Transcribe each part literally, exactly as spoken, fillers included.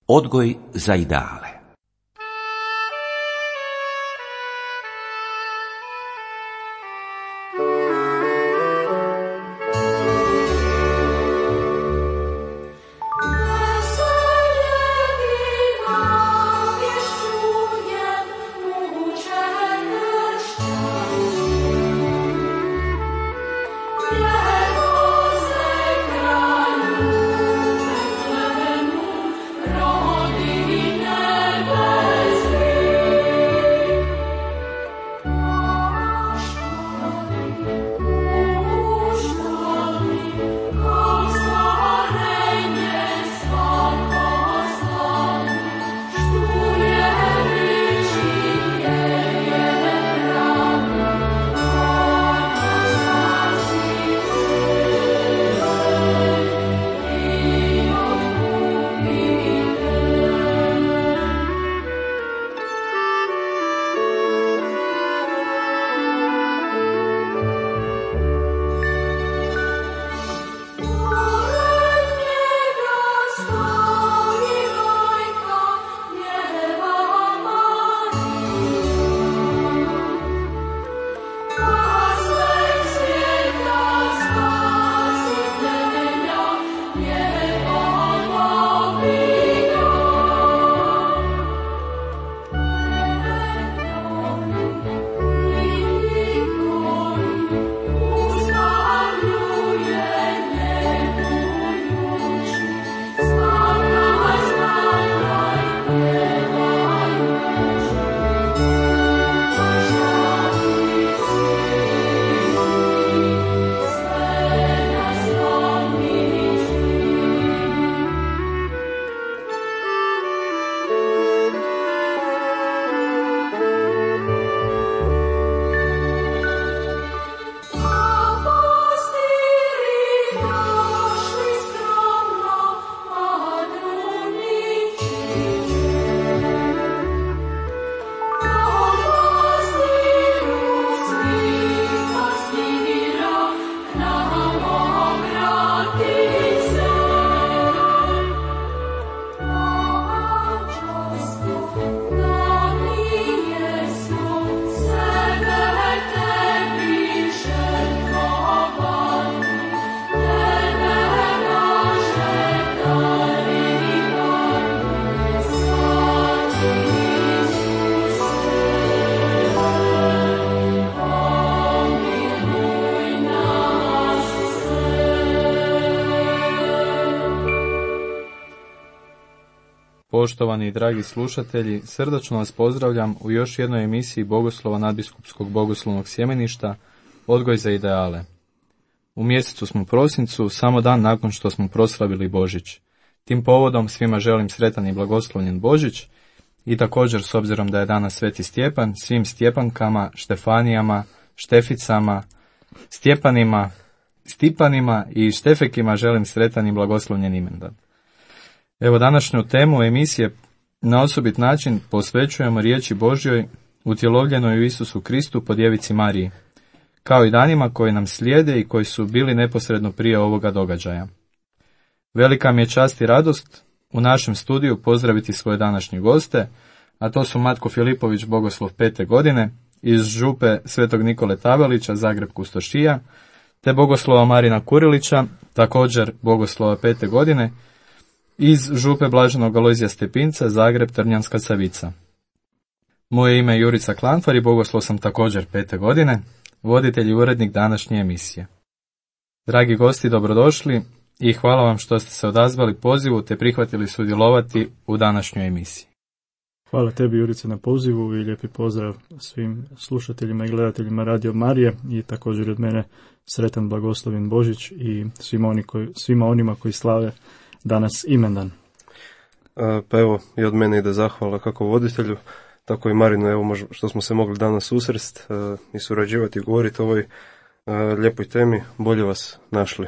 Odgoj za ideale. Poštovani i dragi slušatelji, srdačno vas pozdravljam u još jednoj emisiji Bogoslova nadbiskupskog bogoslovnog sjemeništa Odgoj za ideale. U mjesecu smo prosincu, samo dan nakon što smo proslavili Božić. Tim povodom svima želim sretan i blagoslovljen Božić i također, s obzirom da je danas Sveti Stjepan, svim Stjepankama, Štefanijama, Šteficama, Stjepanima, Stipanima i Štefekima želim sretan i blagoslovljen imendan. Evo, današnju temu emisije na osobit način posvećujemo riječi Božjoj utjelovljenoj u Isusu Kristu po djevici Mariji, kao i danima koji nam slijede i koji su bili neposredno prije ovoga događaja. Velika mi je čast i radost u našem studiju pozdraviti svoje današnje goste, a to su Matko Filipović, bogoslov pete godine, iz župe Svetog Nikole Tabelića, Zagreb Kustošija, te bogoslova Marina Kurilića, također bogoslova pete godine, iz župe Blaženog Alojzija Stepinca, Zagreb Trnjanska Savica. Moje ime je Jurica Klanfar i bogoslov sam također pete godine, voditelj i urednik današnje emisije. Dragi gosti, dobrodošli i hvala vam što ste se odazvali pozivu te prihvatili sudjelovati u današnjoj emisiji. Hvala tebi, Jurice, na pozivu i lijepi pozdrav svim slušateljima i gledateljima Radio Marije i također od mene sretan blagoslovljen Božić i svima, oni koji, svima onima koji slave danas imendan. A, pa evo, i od mene ide zahvala kako voditelju, tako i Marinu, evo možda što smo se mogli danas susrest a, i surađivati i govoriti o ovoj a, lijepoj temi, bolje vas našli.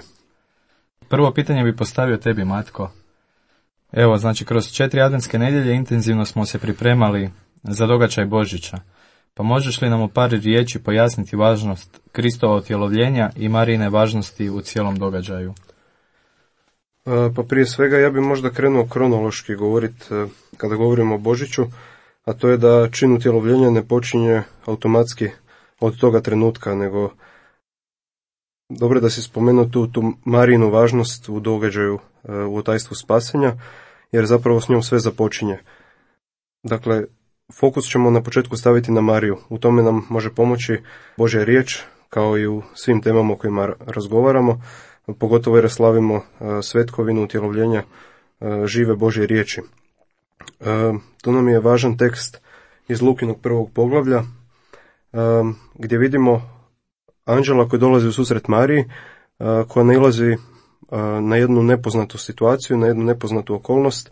Prvo pitanje bi postavio tebi, Matko. Evo, znači, kroz četiri adventske nedjelje intenzivno smo se pripremali za događaj Božića. Pa možeš li nam u par riječi pojasniti važnost Kristova utjelovljenja i Marijine važnosti u cijelom događaju? Pa prije svega ja bi možda krenuo kronološki govoriti kada govorimo o Božiću, a to je da čin utjelovljenja ne počinje automatski od toga trenutka, nego dobro da si spomenuo tu, tu Marijinu važnost u događaju, u otajstvu spasenja, jer zapravo s njom sve započinje. Dakle, fokus ćemo na početku staviti na Mariju. U tome nam može pomoći Božja riječ, kao i u svim temama o kojima razgovaramo, pogotovo jer slavimo svetkovinu utjelovljenja žive Božje riječi. Tu nam je važan tekst iz Lukinog prvog poglavlja, gdje vidimo anđela koji dolazi u susret Mariji, koja nailazi na jednu nepoznatu situaciju, na jednu nepoznatu okolnost,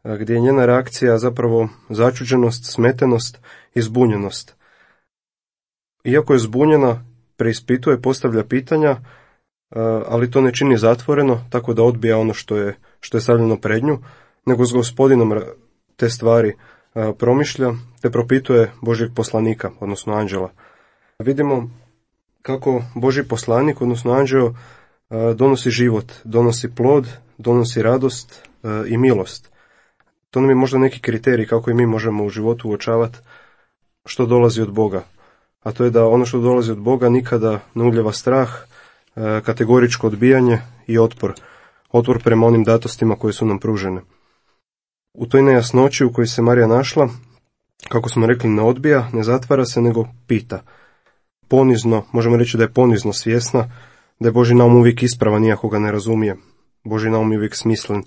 gdje je njena reakcija zapravo začuđenost, smetenost i zbunjenost. Iako je zbunjena, preispituje, postavlja pitanja, ali to ne čini zatvoreno, tako da odbija ono što je, što je stavljeno pred nju, nego s Gospodinom te stvari promišlja, te propituje Božjeg poslanika, odnosno anđela. Vidimo kako Božji poslanik, odnosno anđeo, donosi život, donosi plod, donosi radost i milost. To nam je možda neki kriterij kako i mi možemo u životu uočavati što dolazi od Boga. A to je da ono što dolazi od Boga nikada ne uljeva strah, kategoričko odbijanje i otpor. Otpor prema onim datostima koje su nam pružene. U toj nejasnoći u kojoj se Marija našla, kako smo rekli, ne odbija, ne zatvara se, nego pita. Ponizno, možemo reći da je ponizno svjesna, da je Božji naum uvijek ispravan iako ga ne razumije. Božji naum je uvijek smislen,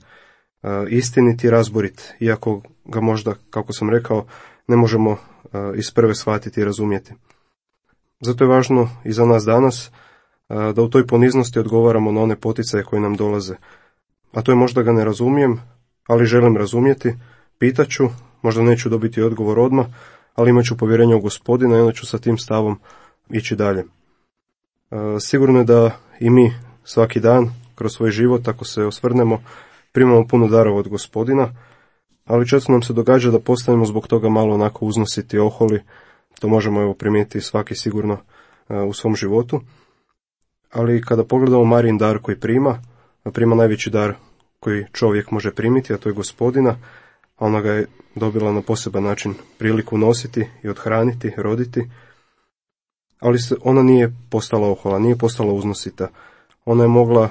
istinit i razborit, iako ga možda, kako sam rekao, ne možemo iz prve shvatiti i razumjeti. Zato je važno i za nas danas da u toj poniznosti odgovaramo na one poticaje koje nam dolaze. A to je možda ga ne razumijem, ali želim razumjeti, pitaću, možda neću dobiti odgovor odmah, ali imat ću povjerenje u Gospodina i onda ću sa tim stavom ići dalje. Sigurno je da i mi svaki dan kroz svoj život, ako se osvrnemo, primamo puno darova od Gospodina, ali često nam se događa da postanemo zbog toga malo onako uznositi, oholi. To možemo evo primijetiti svaki sigurno u svom životu. Ali kada pogledamo Marijin dar koji prima, prima najveći dar koji čovjek može primiti, a to je Gospodina, a ona ga je dobila na poseban način priliku nositi i odhraniti, roditi, ali se, ona nije postala ohola, nije postala uznosita. Ona je mogla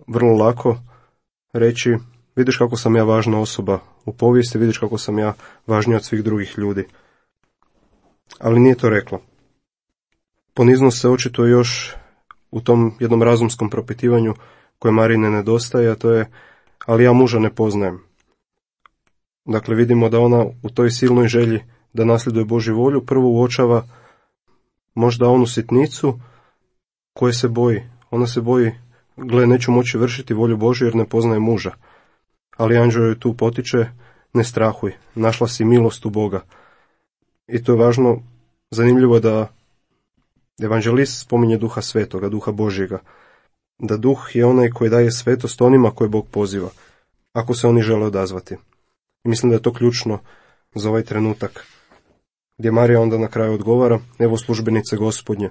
vrlo lako reći, vidiš kako sam ja važna osoba u povijesti, vidiš kako sam ja važnija od svih drugih ljudi. Ali nije to rekla. Poniznost se očituje još u tom jednom razumskom propitivanju koje Marine nedostaje, a to je, ali ja muža ne poznajem. Dakle, vidimo da ona u toj silnoj želji da nasljeduje Božju volju prvo uočava možda onu sitnicu koje se boji. Ona se boji, gle, neću moći vršiti volju Božju jer ne poznaje muža. Ali anđeo joj tu potiče, ne strahuj, našla si milost u Boga. I to je važno, zanimljivo je da evanđelist spominje Duha Svetoga, Duha Božjega. Da Duh je onaj koji daje svetost onima koje Bog poziva, ako se oni žele odazvati. I mislim da je to ključno za ovaj trenutak, gdje Marija onda na kraju odgovara, evo službenice Gospodnje.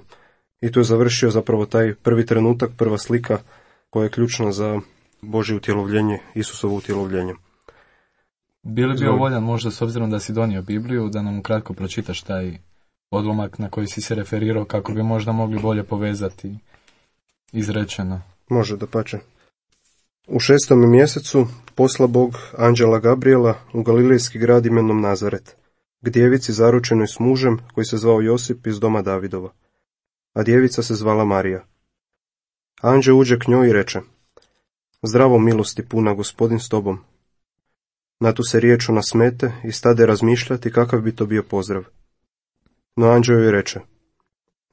I tu je završio zapravo taj prvi trenutak, prva slika koja je ključna za Božje utjelovljenje, Isusovo utjelovljenje. Bi li bio voljan možda, s obzirom da si donio Bibliju, da nam ukratko pročitaš taj odlomak na koji si se referirao, kako bi možda mogli bolje povezati izrečeno? Može, dapače. U šestom mjesecu posla Bog anđela Gabriela u galilejski grad imenom Nazaret, k djevici zaručenoj s mužem koji se zvao Josip iz doma Davidova, a djevica se zvala Marija. Anđeo uđe k njoj i reče, zdravo milosti puna, Gospodin s tobom. Na tu se riječu nasmete i stade razmišljati kakav bi to bio pozdrav. No anđeo joj reče,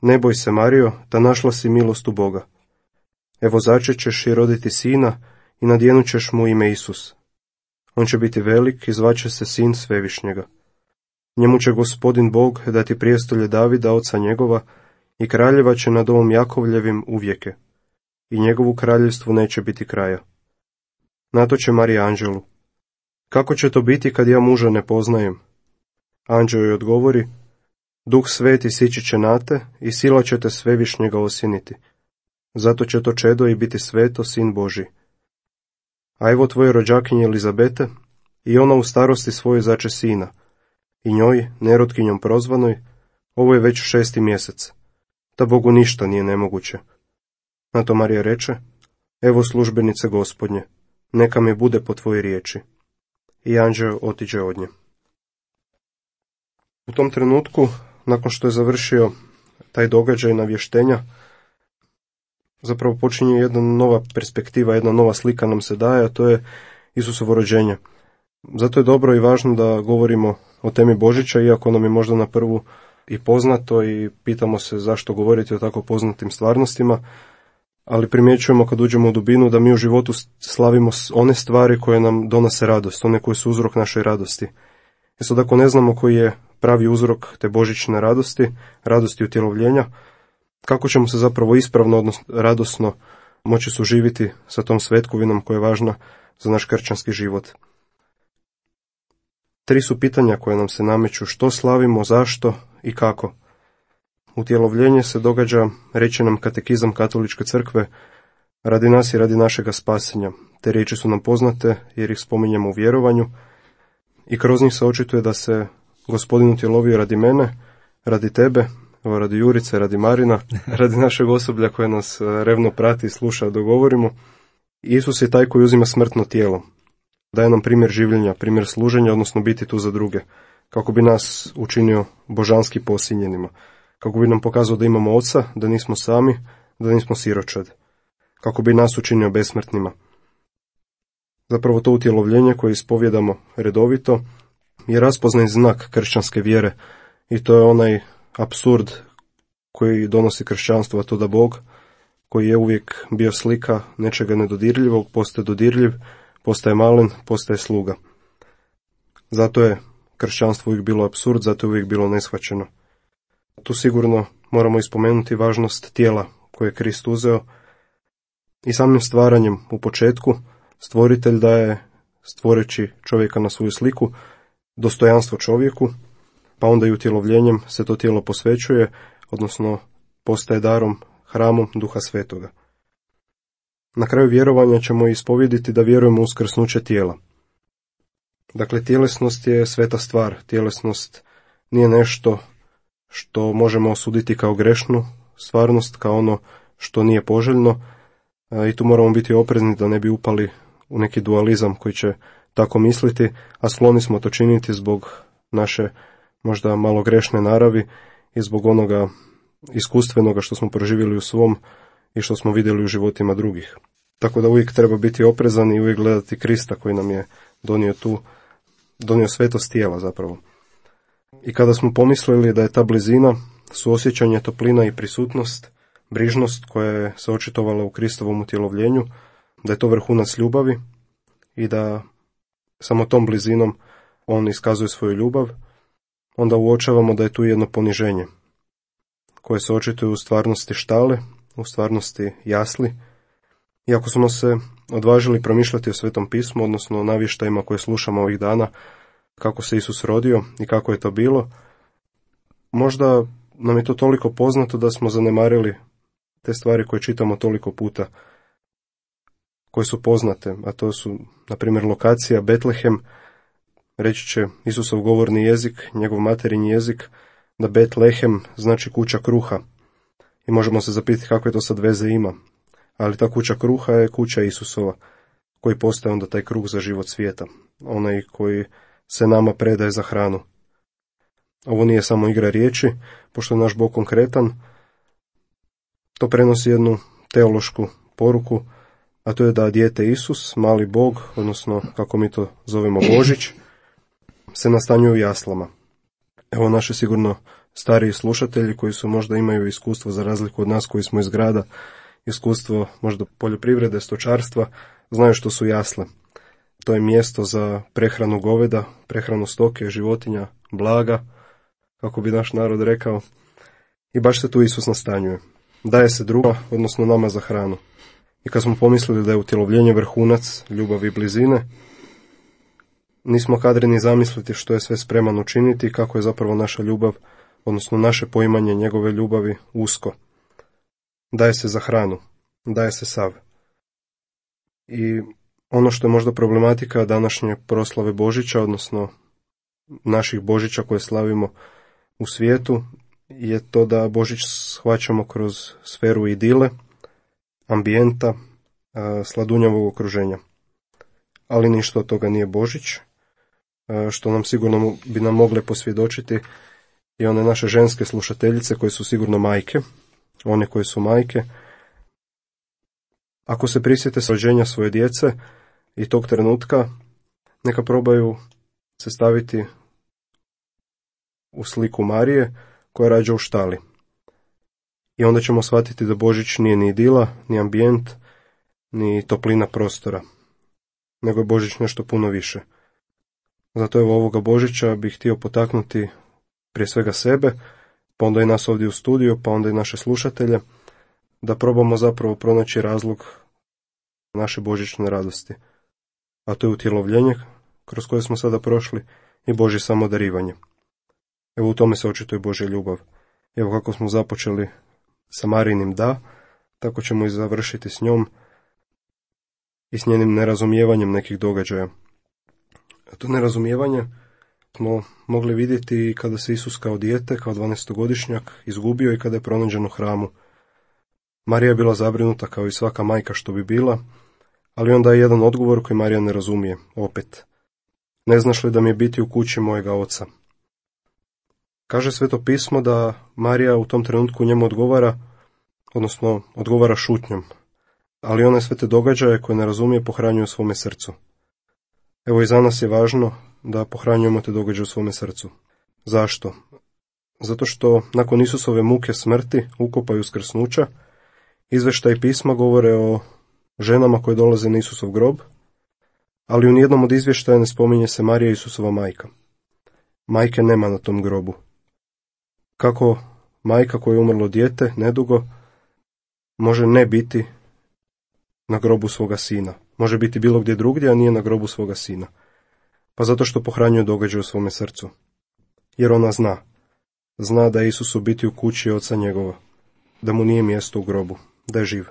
ne boj se, Marijo, da našla si milost u Boga. Evo začećeš i roditi sina i nadjenut ćeš mu ime Isus. On će biti velik i zvaće se sin Svevišnjega. Njemu će Gospodin Bog dati prijestolje Davida, oca njegova, i kraljeva će nad domom Jakovljevim uvijeke. I njegovu kraljevstvu neće biti kraja. Na to će Marija anđelu, kako će to biti kad ja muža ne poznajem? Anđeo joj odgovori, Duh Sveti sići će na te i sila će te Svevišnjega osjeniti. Zato će to čedo i biti sveto, sin Božji. A evo tvoje rođakinje Elizabete, i ona u starosti svoje zače sina, i njoj, nerotkinjom prozvanoj, ovo je već šesti mjesec, da Bogu ništa nije nemoguće. Na to Marija reče, evo službenice Gospodnje, neka mi bude po tvojoj riječi. I anđeo otiđe od nje. U tom trenutku, nakon što je završio taj događaj navještenja, zapravo počinje jedna nova perspektiva, jedna nova slika nam se daje, a to je Isusovo rođenje. Zato je dobro i važno da govorimo o temi Božića, iako nam je možda na prvu i poznato i pitamo se zašto govoriti o tako poznatim stvarnostima, ali primjećujemo kad uđemo u dubinu da mi u životu slavimo one stvari koje nam donose radost, one koje su uzrok našoj radosti. I sad ako ne znamo koji je pravi uzrok te božićne radosti, radosti utjelovljenja, kako ćemo se zapravo ispravno, odnosno radosno moći suživiti sa tom svetkovinom koja je važna za naš kršćanski život. Tri su pitanja koje nam se nameću: što slavimo, zašto i kako. Utjelovljenje se događa, reče nam katekizam Katoličke crkve, radi nas i radi našega spasenja. Te riječi su nam poznate jer ih spominjemo u vjerovanju i kroz njih se očituje da se Gospodin utjelovio radi mene, radi tebe, radi Jurice, radi Marina, radi našeg osoblja koje nas revno prati i sluša dok govorimo. Isus je taj koji uzima smrtno tijelo. Daje nam primjer življenja, primjer služenja, odnosno biti tu za druge, kako bi nas učinio božanski posinjenima, kako bi nam pokazao da imamo oca, da nismo sami, da nismo siročad, kako bi nas učinio besmrtnima. Zapravo to utjelovljenje koje ispovjedamo redovito je raspoznaj znak kršćanske vjere i to je onaj apsurd koji donosi kršćanstvo, a to da Bog, koji je uvijek bio slika nečega nedodirljivog, postaje dodirljiv, postaje malen, postaje sluga. Zato je kršćanstvo uvijek bilo apsurd, zato je uvijek bilo neshvaćeno. Tu sigurno moramo ispomenuti važnost tijela koje je Krist uzeo i samim stvaranjem u početku stvoritelj daje, stvoreći čovjeka na svoju sliku, dostojanstvo čovjeku, pa onda i utjelovljenjem se to tijelo posvećuje, odnosno postaje darom, hramom Duha Svetoga. Na kraju vjerovanja ćemo ispovjediti da vjerujemo u uskrsnuće tijela. Dakle, tjelesnost je sveta stvar, tjelesnost nije nešto što možemo osuditi kao grešnu stvarnost, kao ono što nije poželjno, i tu moramo biti oprezni da ne bi upali u neki dualizam koji će tako misliti, a skloni smo to činiti zbog naše možda malo grešne naravi i zbog onoga iskustvenoga što smo proživjeli u svom i što smo vidjeli u životima drugih. Tako da uvijek treba biti oprezan i uvijek gledati Krista koji nam je donio tu, donio svetost tijela zapravo. I kada smo pomislili da je ta blizina, suosjećanje, toplina i prisutnost, brižnost koja je se očitovala u Kristovom utjelovljenju, da je to vrhunac ljubavi i da samo tom blizinom on iskazuje svoju ljubav, onda uočavamo da je tu jedno poniženje koje se očituje u stvarnosti štale, u stvarnosti jasli. Iako smo se odvažili promišljati o Svetom pismu, odnosno o navještajima koje slušamo ovih dana, kako se Isus rodio i kako je to bilo, možda nam je to toliko poznato da smo zanemarili te stvari koje čitamo toliko puta, koje su poznate, a to su, na primjer, lokacija Betlehem. Reći će Isusov govorni jezik, njegov materinji jezik, da Betlehem znači kuća kruha. I možemo se zapitati kakve to sad veze ima. Ali ta kuća kruha je kuća Isusova, koji postaje onda taj kruh za život svijeta, onaj koji se nama predaje za hranu. Ovo nije samo igra riječi, pošto je naš Bog konkretan, to prenosi jednu teološku poruku, a to je da dijete Isus, mali Bog, odnosno kako mi to zovemo Božić, se nastanjuje u jaslama. Evo naši sigurno stariji slušatelji koji su možda imaju iskustvo za razliku od nas koji smo iz grada, iskustvo možda poljoprivrede, stočarstva, znaju što su jasle. To je mjesto za prehranu goveda, prehranu stoke, životinja, blaga, kako bi naš narod rekao. I baš se tu Isus nastanjuje. Daje se druga, odnosno nama za hranu. I kad smo pomislili da je utjelovljenje vrhunac ljubavi i blizine, nismo kadri ni zamisliti što je sve spreman učiniti i kako je zapravo naša ljubav, odnosno naše poimanje njegove ljubavi usko. Daje se za hranu, daje se sav. I Ono što je možda problematika današnje proslave Božića, odnosno naših Božića koje slavimo u svijetu, je to da Božić shvaćamo kroz sferu idile, ambijenta, sladunjavog okruženja. Ali ništa od toga nije Božić, što nam sigurno bi nam mogle posvjedočiti i one naše ženske slušateljice koje su sigurno majke, one koje su majke. Ako se prisjete rođenja svoje djece i tog trenutka, neka probaju se staviti u sliku Marije koja rađa u štali. I onda ćemo shvatiti da Božić nije ni idila, ni ambijent, ni toplina prostora, nego je Božić nešto puno više. Zato evo ovoga Božića bih htio potaknuti prije svega sebe, pa onda i nas ovdje u studiju, pa onda i naše slušatelje, da probamo zapravo pronaći razlog naše božićne radosti. A to je utjelovljenje kroz koje smo sada prošli i Božje samodarivanje. Evo u tome se očituje Božja ljubav. Evo kako smo započeli sa Marijinim da, tako ćemo i završiti s njom i s njenim nerazumijevanjem nekih događaja. A to nerazumijevanje smo mogli vidjeti kada se Isus kao dijete, kao dvanaestogodišnjak, izgubio i kada je pronađen u hramu. Marija je bila zabrinuta kao i svaka majka što bi bila, ali onda je jedan odgovor koji Marija ne razumije, opet. Ne znaš li da mi je biti u kući mojega oca? Kaže Sveto pismo da Marija u tom trenutku njemu odgovara, odnosno odgovara šutnjom, ali one sve te događaje koje ne razumije pohranjuje u svome srcu. Evo i za nas je važno da pohranjujemo te događaje u svome srcu. Zašto? Zato što nakon Isusove muke smrti, ukopa i uskrsnuća, izvještaj pisma govore o ženama koje dolaze na Isusov grob, ali u nijednom od izvještaja ne spominje se Marija Isusova majka. Majke nema na tom grobu. Kako majka koja je umrlo dijete, nedugo, može ne biti na grobu svoga sina. Može biti bilo gdje drugdje, a nije na grobu svoga sina. Pa zato što pohranjuje događaj u svome srcu. Jer ona zna. Zna da je Isus u biti u kući oca njegova. Da mu nije mjesto u grobu. Da je živ.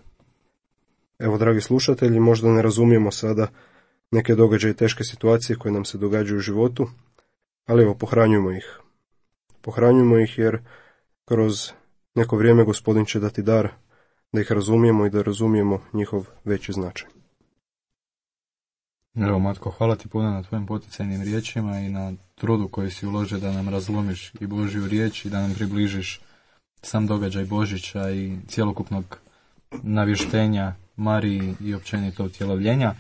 Evo, dragi slušatelji, možda ne razumijemo sada neke događaje i teške situacije koje nam se događaju u životu, ali evo, pohranjujemo ih. Pohranjujemo ih jer kroz neko vrijeme Gospodin će dati dar da ih razumijemo i da razumijemo njihov veći značaj. Evo, Matko, hvala ti puno na tvojim poticajnim riječima i na trudu koji si uložio da nam razlomiš i Božju riječ i da nam približiš sam događaj Božića i cjelokupnog navještenja Mariji i općenito utjelovljenja.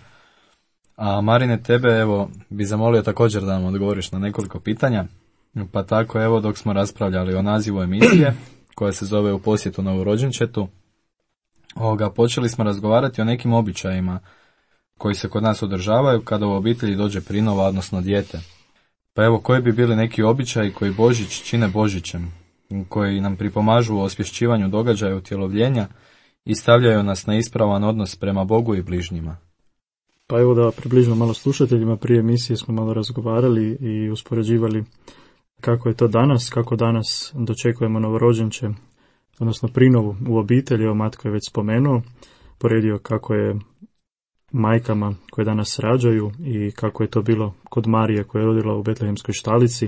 A Marine, tebe evo bi zamolio također da nam odgovoriš na nekoliko pitanja. Pa tako evo dok smo raspravljali o nazivu emisije koja se zove U posjetu novorođenčetu, ovoga, počeli smo razgovarati o nekim običajima koji se kod nas održavaju kada u obitelji dođe prinova, odnosno dijete. Pa evo, koji bi bili neki običaji koji Božić čine Božićem, koji nam pripomažu u osvješćivanju događaja utjelovljenja i stavljaju nas na ispravan odnos prema Bogu i bližnjima? Pa evo da približno malo slušateljima, prije emisije smo malo razgovarali i uspoređivali kako je to danas, kako danas dočekujemo novorođenče, odnosno prinovu u obitelji. Evo, Matko je već spomenuo, poredio kako je majkama koje danas rađaju i kako je to bilo kod Marije koja je rodila u Betlehemskoj štalici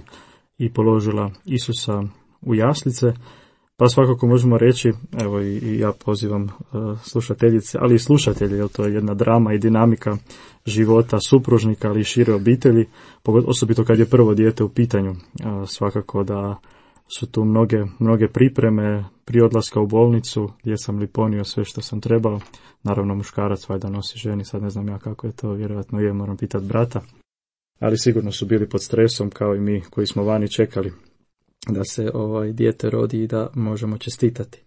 i položila Isusa u jaslice. Pa svakako možemo reći, evo i, i ja pozivam uh, slušateljice, ali i slušatelje, jer to je jedna drama i dinamika života supružnika, ali i šire obitelji, osobito kad je prvo dijete u pitanju. Uh, svakako da su tu mnoge, mnoge pripreme prije odlaska u bolnicu, gdje sam li ponio sve što sam trebao. Naravno muškarac valjda nosi ženi, sad ne znam ja kako je to, vjerojatno je, moram pitati brata. Ali sigurno su bili pod stresom kao i mi koji smo vani čekali da se ovaj dijete rodi i da možemo čestitati.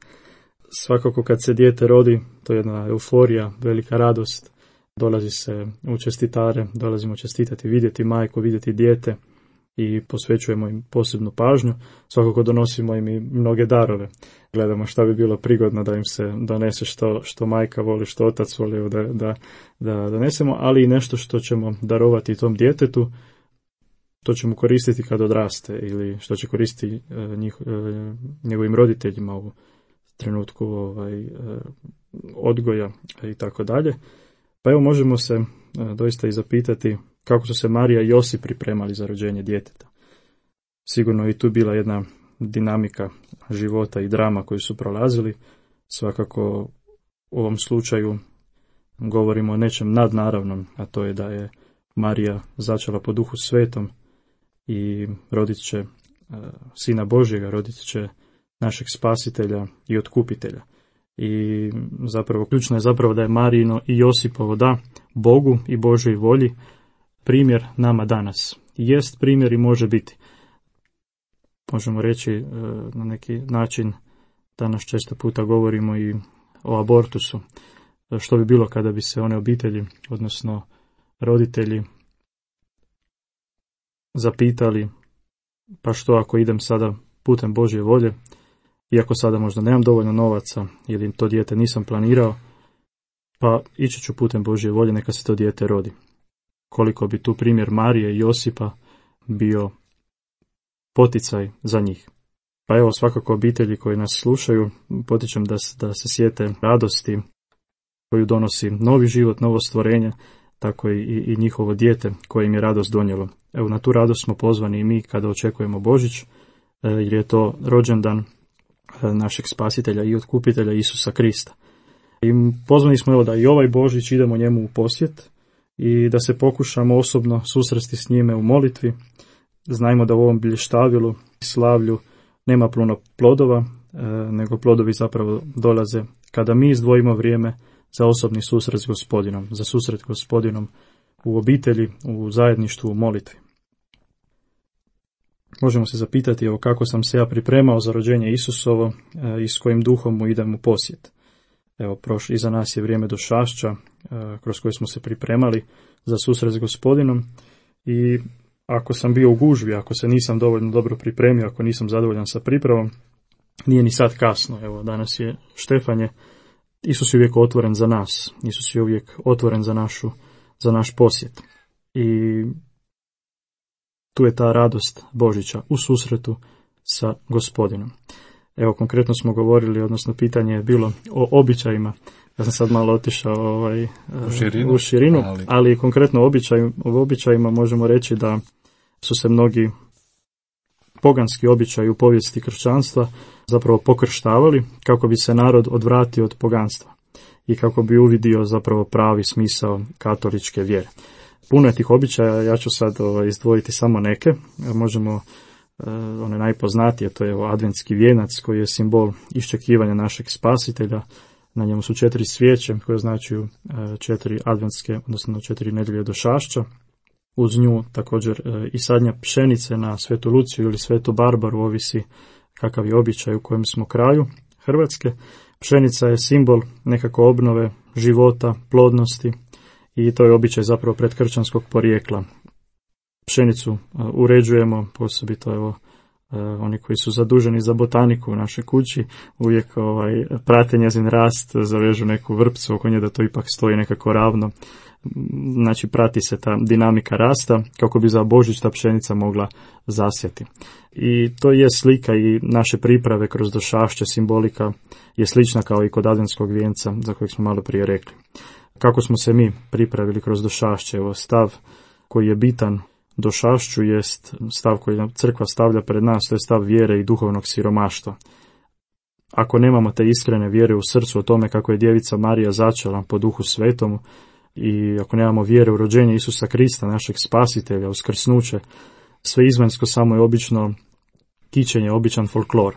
Svakako kad se dijete rodi, to je jedna euforija, velika radost. Dolazi se u čestitare, dolazimo čestitati, vidjeti majku, vidjeti dijete i posvećujemo im posebnu pažnju. Svakako donosimo im i mnoge darove. Gledamo šta bi bilo prigodno da im se donese što, što majka voli, što otac voli da, da, da donesemo, ali i nešto što ćemo darovati tom djetetu, to ćemo koristiti kad odraste ili što će koristiti njih, njegovim roditeljima u trenutku ovaj, odgoja i tako dalje. Pa evo možemo se doista i zapitati kako su se Marija i Josip pripremali za rođenje djeteta. Sigurno i tu bila jedna dinamika života i drama koju su prolazili. Svakako u ovom slučaju govorimo o nečem nadnaravnom, a to je da je Marija začela po Duhu Svetom i rodit će Sina Božjega, rodit će našeg spasitelja i otkupitelja. I zapravo ključno je zapravo da je Marijino i Josipovo da Bogu i Božoj volji primjer nama danas. Jest primjer i može biti. Možemo reći na neki način, danas često puta govorimo i o abortusu. Što bi bilo kada bi se one obitelji, odnosno roditelji, zapitali, pa što ako idem sada putem Božje volje, iako sada možda nemam dovoljno novaca ili to dijete nisam planirao, pa ići ću putem Božje volje, neka se to dijete rodi. Koliko bi tu primjer Marije i Josipa bio poticaj za njih. Pa evo, svakako obitelji koji nas slušaju, potičem da, da se sjete radosti koju donosi novi život, novo stvorenje, tako i, i njihovo dijete koje im je radost donijelo. Evo, na tu radost smo pozvani i mi kada očekujemo Božić, jer je to rođendan našeg spasitelja i otkupitelja Isusa Krista. I pozvani smo evo da i ovaj Božić idemo njemu u posjet i da se pokušamo osobno susresti s njime u molitvi. Znajmo da u ovom bilještavilu i slavlju nema puno plodova, nego plodovi zapravo dolaze kada mi izdvojimo vrijeme za osobni susret s Gospodinom, za susret s Gospodinom u obitelji, u zajedništvu, u molitvi. Možemo se zapitati evo kako sam se ja pripremao za rođenje Isusovo i s kojim duhom mu idem u posjet. Evo, prošlo, iza nas je vrijeme došašća kroz koje smo se pripremali za susret s Gospodinom i ako sam bio u gužvi, ako se nisam dovoljno dobro pripremio, ako nisam zadovoljan sa pripravom, nije ni sad kasno. Evo, danas je Štefanje. Isus je uvijek otvoren za nas. Isus je uvijek otvoren za našu, za naš posjet. I tu je ta radost Božića u susretu sa Gospodinom. Evo, konkretno smo govorili, odnosno pitanje je bilo o običajima. Ja sam sad malo otišao ovaj, u širinu, u širinu ali... ali konkretno o običaju, o običajima možemo reći da su se mnogi poganski običaji u povijesti kršćanstva zapravo pokrštavali kako bi se narod odvratio od poganstva i kako bi uvidio zapravo pravi smisao katoličke vjere. Puno je tih običaja, ja ću sad ovaj, izdvojiti samo neke. Možemo, eh, one najpoznatije, to je evo, adventski vijenac koji je simbol iščekivanja našeg spasitelja. Na njemu su četiri svijeće koje označuju eh, četiri adventske, odnosno četiri nedjelje došašća. Uz nju također eh, i sadnja pšenice na Svetu Luciju ili Svetu Barbaru, ovisi kakav je običaj u kojem smo kraju Hrvatske. Pšenica je simbol nekako obnove života, plodnosti i to je običaj zapravo predkršćanskog porijekla. Pšenicu uređujemo, posebito evo, oni koji su zaduženi za botaniku u našoj kući, uvijek ovaj, prate njezin rast, zavežu neku vrpcu oko nje da to ipak stoji nekako ravno. Znači prati se ta dinamika rasta kako bi za Božić ta pšenica mogla zasjati. I to je slika i naše priprave kroz došašće, simbolika je slična kao i kod adventskog vijenca za kojeg smo malo prije rekli. Kako smo se mi pripravili kroz došašće? Evo, stav koji je bitan došašću jest stav koji nam crkva stavlja pred nas, to je stav vjere i duhovnog siromaštva. Ako nemamo te iskrene vjere u srcu o tome kako je djevica Marija začela po Duhu Svetom i ako nemamo vjere u rođenje Isusa Krista, našeg spasitelja, uskrsnuće, sve izvanjsko samo je obično kićenje, običan folklor.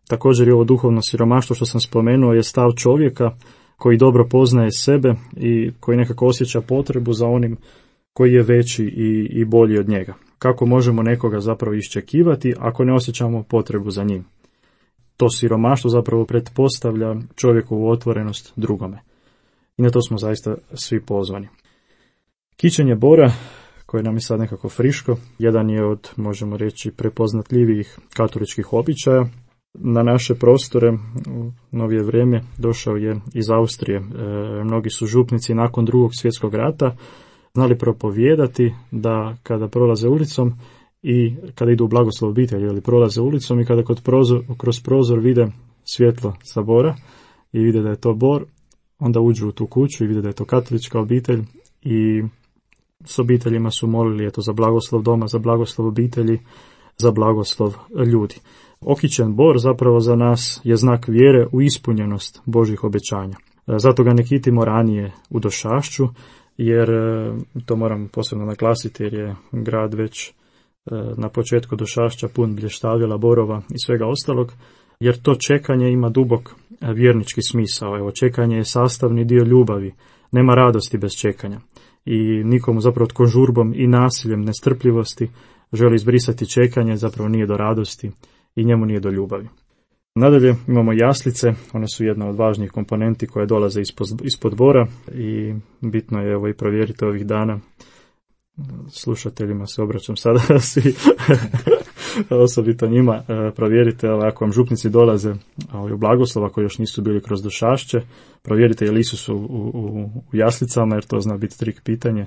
Također i ovo duhovno siromaštvo što sam spomenuo je stav čovjeka koji dobro poznaje sebe i koji nekako osjeća potrebu za onim koji je veći i, i bolji od njega. Kako možemo nekoga zapravo iščekivati ako ne osjećamo potrebu za njim? To siromaštvo zapravo pretpostavlja čovjekovu otvorenost drugome. I na to smo zaista svi pozvani. Kićenje bora, koje nam je sad nekako friško, jedan je od, možemo reći, prepoznatljivijih katoličkih običaja. Na naše prostore u novije vrijeme došao je iz Austrije. E, mnogi su župnici nakon drugog svjetskog rata znali propovijedati da kada prolaze ulicom i kada idu u blagoslov obitelji ili prolaze ulicom i kada kod prozor, kroz prozor vide svjetlo sa bora i vide da je to bor, onda uđu u tu kuću i vide da je to katolička obitelj i s obiteljima su molili eto, za blagoslov doma, za blagoslov obitelji, za blagoslov ljudi. Okićen bor zapravo za nas je znak vjere u ispunjenost Božjih obećanja. Zato ga ne kitimo ranije u Došašću, jer to moram posebno naglasiti jer je grad već na početku Došašća pun blještavila, borova i svega ostalog, jer to čekanje ima dubok vjernički smisao. Evo, čekanje je sastavni dio ljubavi, nema radosti bez čekanja. I nikomu zapravo tko žurbom i nasiljem nestrpljivosti želi izbrisati čekanje, zapravo nije do radosti i njemu nije do ljubavi. Nadalje imamo jaslice, one su jedna od važnijih komponenti koje dolaze ispod, ispod dvora i bitno je evo i provjeriti ovih dana. Slušateljima se obraćam sada svi, osobito njima, provjerite ako vam župnici dolaze u blagoslov, ako još nisu bili kroz Došašće, provjerite je li su u, u, u jaslicama, jer to zna biti trik pitanje.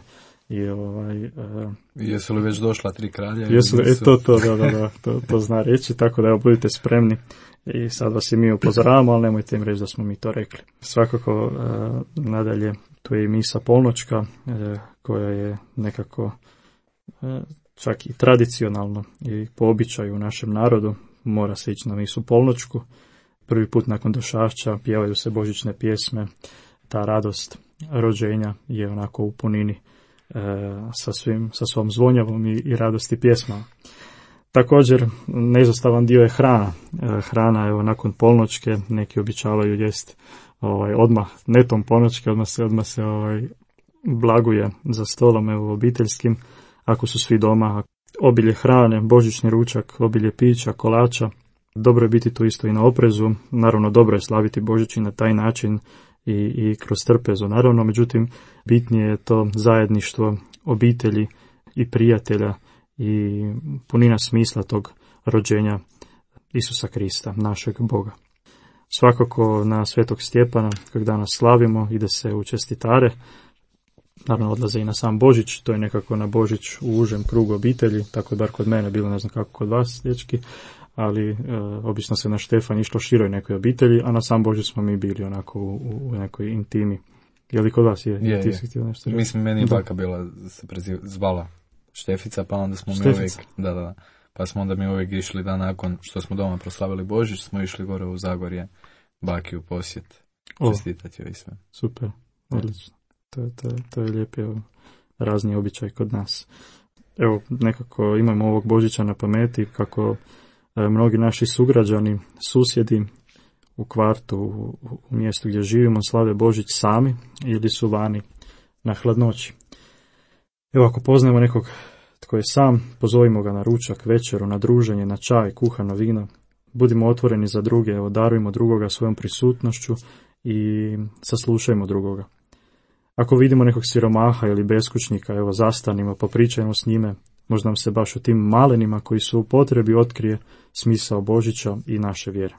I ovaj, uh, jesu li već došla tri kralja? Jesu li, e, to, to, da, da, da, to, to zna reći, tako da evo, budite spremni i sad vas i mi upozoravamo, ali nemojte im reći da smo mi to rekli. Svakako, uh, nadalje, tu je i misa polnoćka, uh, koja je nekako uh, čak i tradicionalno i po običaju u našem narodu, mora se ići na misu polnoćku. Prvi put nakon Došašća pjevaju se božićne pjesme, ta radost rođenja je onako u punini sa, svim, sa svom zvonjavom i, i radosti pjesmama. Također, neizostavan dio je hrana. Hrana, evo, nakon polnoćke, neki običavaju jest ovaj, odmah, netom polnoćke, odmah se, odmah se ovaj, blaguje za stolom, evo, obiteljskim, ako su svi doma. Obilje hrane, božićni ručak, obilje pića, kolača. Dobro je biti tu isto i na oprezu. Naravno, dobro je slaviti Božić i na taj način, I, i kroz trpezu, naravno, međutim, bitnije je to zajedništvo obitelji i prijatelja i punina smisla tog rođenja Isusa Krista, našeg Boga. Svakako na Svetog Stjepana, kojeg danas slavimo, ide se u čestitare, naravno odlaze i na sam Božić, to je nekako na Božić u užem krugu obitelji, tako je bar kod mene bilo, ne znam kako kod vas, dječki, ali e, obično se na Štefan išlo široj nekoj obitelji, a na sam Božić smo mi bili onako u, u nekoj intimi. Je li kod vas je? Je, Ti je. si htio nešto reći? Mislim, meni je baka bila, se preziv, zvala Štefica, pa onda smo Štefica. mi uvijek, da, da, pa smo onda mi uvijek išli da nakon što smo doma proslavili Božić, smo išli gore u Zagorje, baki u posjet, čestitati joj i sve. Super, odlično. To, to, to je lijepi razni običaj kod nas. Evo, nekako imamo ovog Božića na pameti kako e, mnogi naši sugrađani, susjedi u kvartu, u, u mjestu gdje živimo, slave Božić sami ili su vani na hladnoći. Evo, ako poznajemo nekog tko je sam, pozovimo ga na ručak, večeru, na druženje, na čaj, kuhano vino. Budimo otvoreni za druge, evo, darujmo drugoga svojom prisutnošću i saslušajmo drugoga. Ako vidimo nekog siromaha ili beskućnika, evo, zastanimo, popričajmo s njime, možda nam se baš u tim malenima koji su u potrebi otkrije smisao Božića i naše vjere.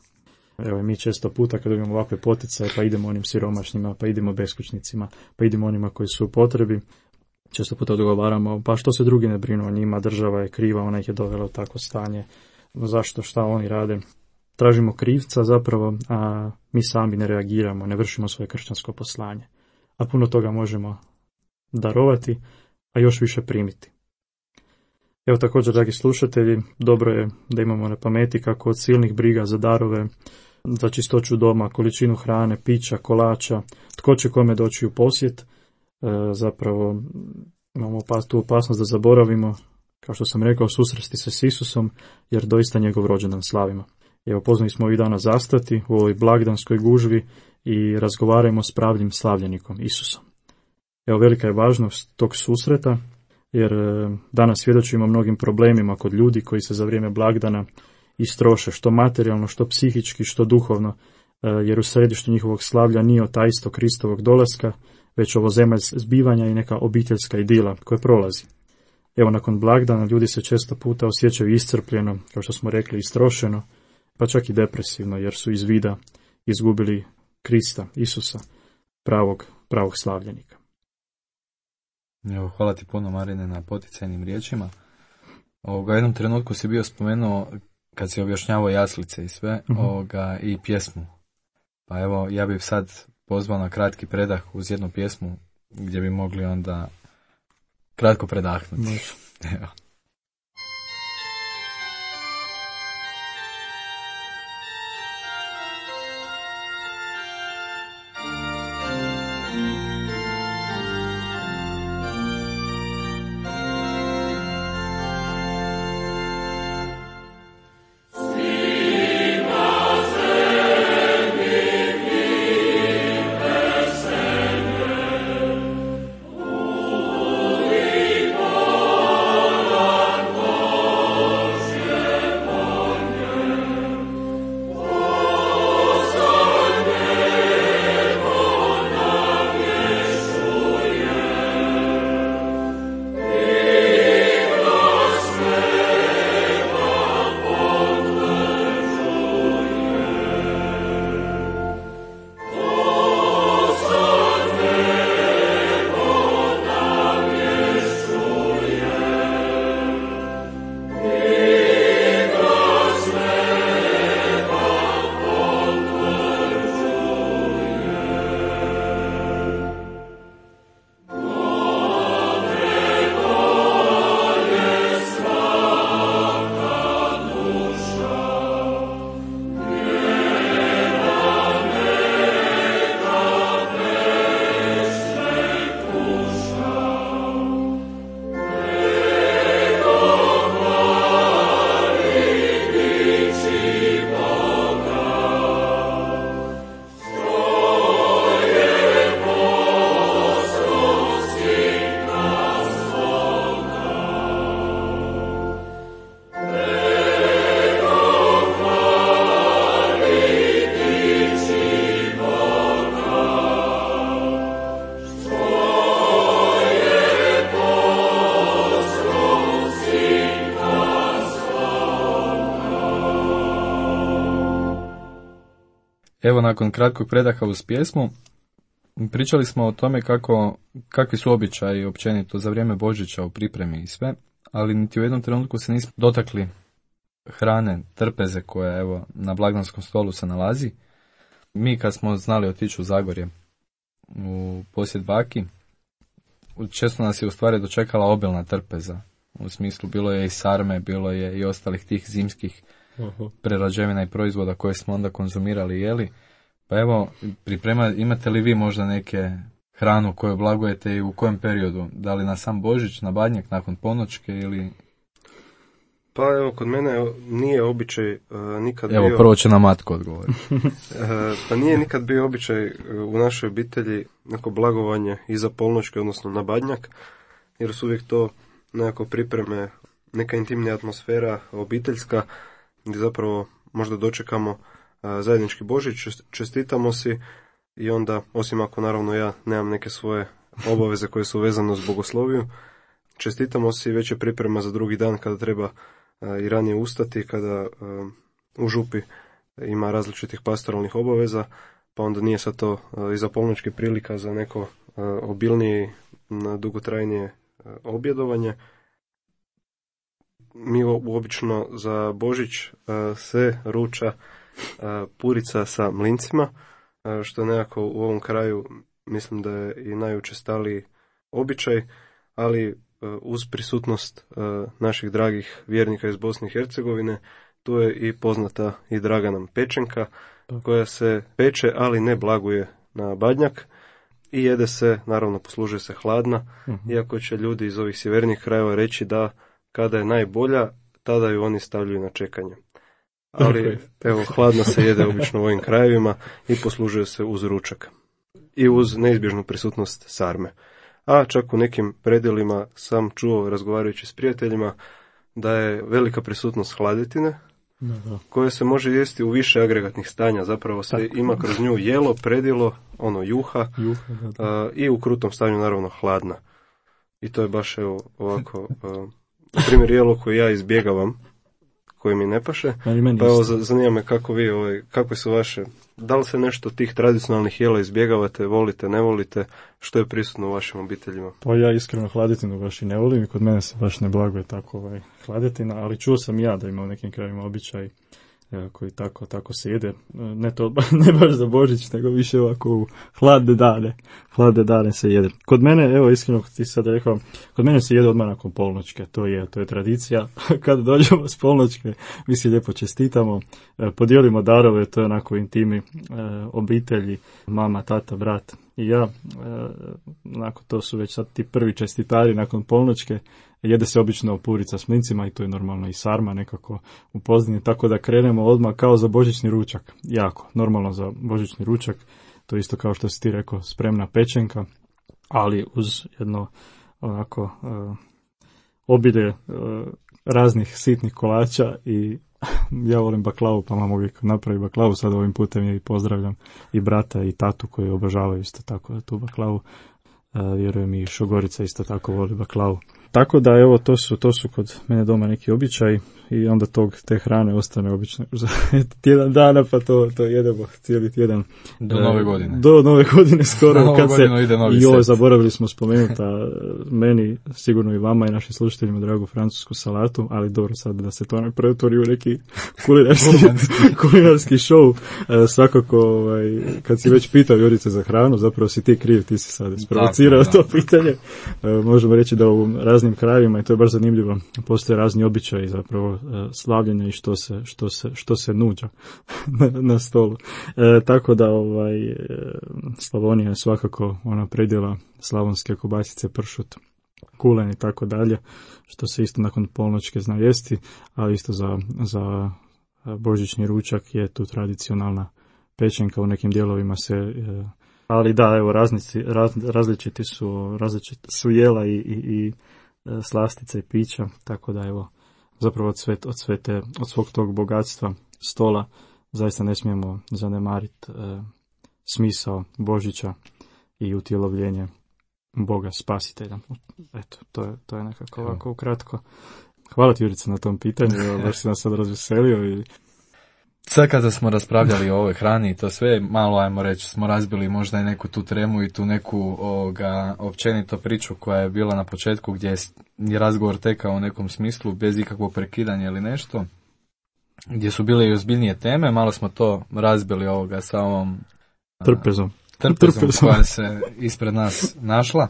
Evo, mi često puta kad dobijemo ovakve poticaje, pa idemo onim siromašnjima, pa idemo beskućnicima, pa idemo onima koji su u potrebi, često puta odgovaramo, pa što se drugi ne brinu o njima, država je kriva, ona ih je dovela u takvo stanje, zašto, šta oni rade. Tražimo krivca zapravo, a mi sami ne reagiramo, ne vršimo svoje kršćansko poslanje. A puno toga možemo darovati, a još više primiti. Evo također, dragi slušatelji, dobro je da imamo na pameti kako od silnih briga za darove, za čistoću doma, količinu hrane, pića, kolača, tko će kome doći u posjet, e, zapravo imamo tu opasnost da zaboravimo, kao što sam rekao, susresti se s Isusom, jer doista njegov rođendan slavimo. Evo, pozvani smo ovih dana zastati u ovoj blagdanskoj gužvi i razgovarajmo s pravim slavljenikom, Isusom. Evo, velika je važnost tog susreta, jer danas svjedočimo mnogim problemima kod ljudi koji se za vrijeme blagdana istroše, što materijalno, što psihički, što duhovno, jer u središtu njihovog slavlja nije taj isto Kristovog dolaska, već ovo zemaljska zbivanja i neka obiteljska idila koja prolazi. Evo, nakon blagdana ljudi se često puta osjećaju iscrpljeno, kao što smo rekli, istrošeno, pa čak i depresivno, jer su iz vida izgubili Krista, Isusa, pravog, pravog slavljenika. Evo, hvala ti puno, Marine, na poticajnim riječima. Ovoga, jednom trenutku si bio spomenuo, kad si objašnjavao jaslice i sve, uh-huh. ovoga, i pjesmu. Pa evo, ja bih sad pozvao na kratki predah uz jednu pjesmu, gdje bi mogli onda kratko predahnuti. Može. Evo. Evo, nakon kratkog predaha uz pjesmu, pričali smo o tome kako, kakvi su običaji općenito za vrijeme Božića u pripremi i sve, ali niti u jednom trenutku se nismo dotakli hrane, trpeze koja evo na blagdanskom stolu se nalazi. Mi kad smo znali otići u Zagorje u posjet baki, često nas je u stvari dočekala obilna trpeza. U smislu bilo je i sarme, bilo je i ostalih tih zimskih uh-huh. prerađevina i proizvoda koje smo onda konzumirali i jeli. Pa evo, priprema, imate li vi možda neke hranu koju blagujete i u kojem periodu? Da li na sam Božić, na Badnjak, nakon ponoćke ili... Pa evo, kod mene nije običaj uh, nikad evo, bio... Evo, prvo će nam matko odgovoriti. uh, pa nije nikad bio običaj uh, u našoj obitelji neko blagovanje iza polnoćke, odnosno na Badnjak, jer su uvijek to nekako pripreme, neka intimnija atmosfera obiteljska, gdje zapravo možda dočekamo uh, zajednički Božić, čestitamo si i onda, osim ako naravno ja nemam neke svoje obaveze koje su vezane uz bogosloviju, čestitamo si, već je priprema za drugi dan kada treba uh, i ranije ustati, kada uh, u župi ima različitih pastoralnih obaveza, pa onda nije sad to uh, iza polnoćke prilika za neko uh, obilnije, dugotrajnije uh, objedovanje. Mi obično za Božić uh, se ruča uh, purica sa mlincima, uh, što je nekako u ovom kraju mislim da je i najučestaliji običaj, ali uh, uz prisutnost uh, naših dragih vjernika iz Bosne i Hercegovine, tu je i poznata i draga nam pečenka, koja se peče, ali ne blaguje na Badnjak i jede se, naravno poslužuje se hladna, uh-huh. iako će ljudi iz ovih sjevernijih krajeva reći da kada je najbolja, tada ju oni stavljaju na čekanje. Ali, evo, hladno se jede obično u ovim krajevima i poslužuje se uz ručak. I uz neizbježnu prisutnost sarme. A čak u nekim predjelima sam čuo, razgovarajući s prijateljima, da je velika prisutnost hladetine, koje se može jesti u više agregatnih stanja. Zapravo se tako ima kroz nju jelo, predjelo, ono juha, juha da, da. A, i u krutom stanju naravno hladna. I to je baš evo ovako... A, na primjer, jelo koje ja izbjegavam, koje mi ne paše, pa evo, zanima me kako vi, ovaj, kakve su vaše, da li se nešto tih tradicionalnih jela izbjegavate, volite, ne volite, što je prisutno u vašim obiteljima? Pa ja iskreno hladetinu baš i ne volim i kod mene se baš ne blaguje tako ovaj, hladetina, ali čuo sam ja da ima u nekim krajima običaj koji tako, tako se jede, ne to ne baš za Božić, nego više ovako u hladne dane, hladne dane se jede. Kod mene, evo iskreno ti sad rekao, kod mene se jede odmah nakon polnoćke, to je, to je tradicija. Kad dođemo s polnoćke, mi si lijepo čestitamo, podijelimo darove, to je onako intimi obitelji, mama, tata, brat i ja, onako to su već sad ti prvi čestitari nakon polnoćke. Jede se obično purica s mlincima i to je normalno i sarma nekako u pozdini, tako da krenemo odmah kao za božićni ručak. Jako, normalno za božićni ručak, to isto kao što si ti rekao, spremna pečenka, ali uz jedno onako uh, obilje uh, raznih sitnih kolača i ja volim baklavu, pa mam uvijek napravi baklavu, sad ovim putem je i pozdravljam i brata i tatu koji obožavaju isto tako tu baklavu. Uh, vjerujem i Šogorica isto tako voli baklavu. Tako da evo to su to su kod mene doma neki običaji i onda tog te hrane ostane obično za tjedan dana, pa to to jedemo cijeli tjedan do nove godine. Do nove godine skoro kad se i joj zaboravili smo spomenuti meni sigurno i vama i našim slušateljima dragu francusku salatu, ali dobro sad da se to ne pretvori u neki kulinarski kulinarski show. E, svakako ovaj kad si već pitao Jurice za hranu, zapravo si ti kriv, ti si sad isprovocirao to pitanje. E, možemo reći da u raznim krajevima i to je baš zanimljivo. Postoje razni običaji zapravo slavljenja i što se što se što se nuđa na, na stolu. E, tako da ovaj Slavonija je svakako ona predjela slavonske kobasice, pršut, kulen i tako dalje, što se isto nakon polnoćke zna jesti, a isto za za božićni ručak je tu tradicionalna pečenka, u nekim dijelovima se e, ali da, evo raznici, raz, različiti su različiti su jela i, i, i slastice i pića, tako da evo zapravo od, sve, od, sve te, od svog tog bogatstva stola zaista ne smijemo zanemariti e, smisao Božića i utjelovljenje Boga Spasitelja. Eto, to je, to je nekako ovako ukratko. Hvala ti Jurica na tom pitanju, baš si nas sad razveselio i sad kada smo raspravljali o ovoj hrani i to sve, malo ajmo reći, smo razbili možda i neku tu tremu i tu neku ovoga, općenito priču koja je bila na početku gdje je razgovor tekao u nekom smislu bez ikakvog prekidanja ili nešto, gdje su bile i ozbiljnije teme, malo smo to razbili ovoga sa ovom trpezom, trpezom, trpezom. koja se ispred nas našla,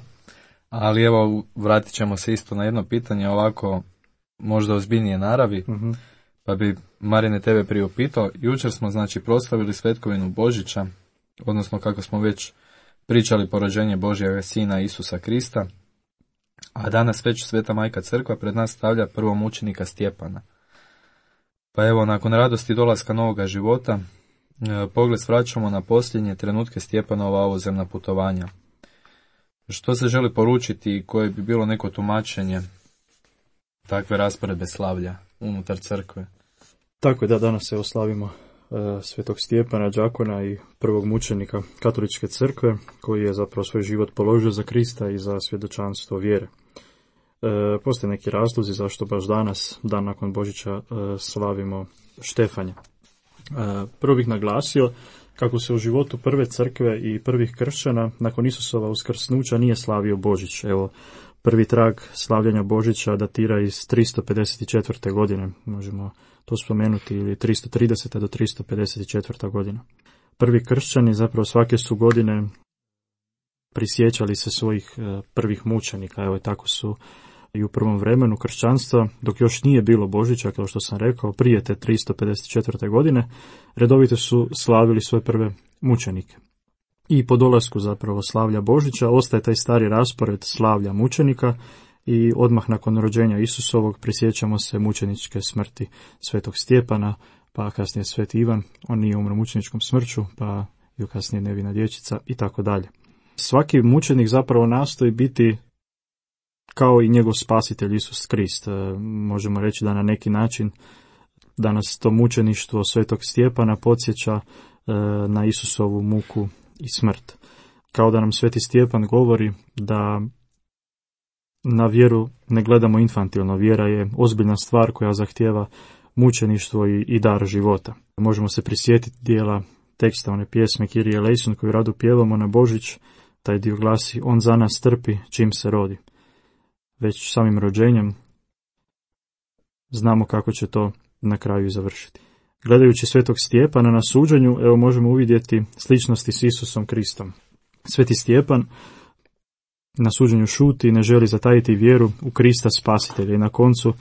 ali evo vratit ćemo se isto na jedno pitanje ovako možda ozbiljnije naravi. Uh-huh. Pa bi Marine tebe priupitao, jučer smo znači proslavili svetkovinu Božića, odnosno kako smo već pričali porođenje Božjega Sina Isusa Krista, a danas već Sveta Majka Crkva pred nas stavlja prvomučenika Stjepana. Pa evo, nakon radosti dolaska novoga života, pogled svraćamo na posljednje trenutke Stjepanova ovozemna putovanja. Što se želi poručiti i koje bi bilo neko tumačenje takve rasporedbe slavlja unutar crkve? Tako je, da, danas se oslavimo uh, svetog Stjepana, đakona i prvog mučenika katoličke crkve, koji je zapravo svoj život položio za Krista i za svjedočanstvo vjere. Uh, postoje neki razlozi zašto baš danas, dan nakon Božića, uh, slavimo Štefanja. Uh, prvo bih naglasio kako se u životu prve crkve i prvih kršćana nakon Isusova uskrsnuća nije slavio Božić. Evo, prvi trag slavljanja Božića datira iz tristo pedeset četvrte godine, možemo to spomenuti, ili tristo tridesete do tristo pedeset četvrte godina. Prvi kršćani zapravo svake su godine prisjećali se svojih prvih mučenika, evo tako su i u prvom vremenu kršćanstva, dok još nije bilo Božića, kao što sam rekao, prije te tristo pedeset četvrte godine, redovito su slavili svoje prve mučenike. I po dolasku zapravo slavlja Božića ostaje taj stari raspored slavlja mučenika i odmah nakon rođenja Isusovog prisjećamo se mučeničke smrti svetog Stjepana, pa kasnije sveti Ivan, on nije umro mučeničkom smrću, pa i kasnije nevina dječica i tako dalje. Svaki mučenik zapravo nastoji biti kao i njegov spasitelj Isus Krist. Možemo reći da na neki način danas to mučeništvo svetog Stjepana podsjeća na Isusovu muku i smrt. Kao da nam sveti Stjepan govori da na vjeru ne gledamo infantilno. Vjera je ozbiljna stvar koja zahtijeva mučeništvo i, i dar života. Možemo se prisjetiti dijela teksta one pjesme Kyrie eleison koju rado pjevamo na Božić. Taj dio glasi: on za nas trpi čim se rodi. Već samim rođenjem znamo kako će to na kraju završiti. Gledajući svetog Stjepana na suđenju, evo možemo uvidjeti sličnosti s Isusom Kristom. Sveti Stjepan na suđenju šuti i ne želi zatajiti vjeru u Krista Spasitelja i na koncu,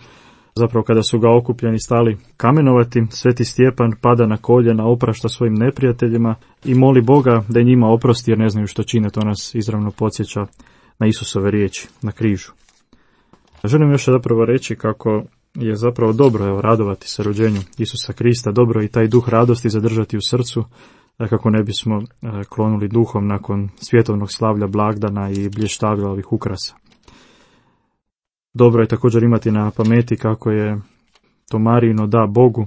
zapravo kada su ga okupljeni stali kamenovati, Sveti Stjepan pada na koljena, oprašta svojim neprijateljima i moli Boga da njima oprosti jer ne znaju što čine. To nas izravno podsjeća na Isusove riječi na križu. Želim još zapravo reći kako je zapravo dobro evo, radovati se rođenju Isusa Krista, dobro i taj duh radosti zadržati u srcu, kako ne bismo klonuli duhom nakon svjetovnog slavlja blagdana i blještavlja ovih ukrasa. Dobro je također imati na pameti kako je to Marijino da Bogu,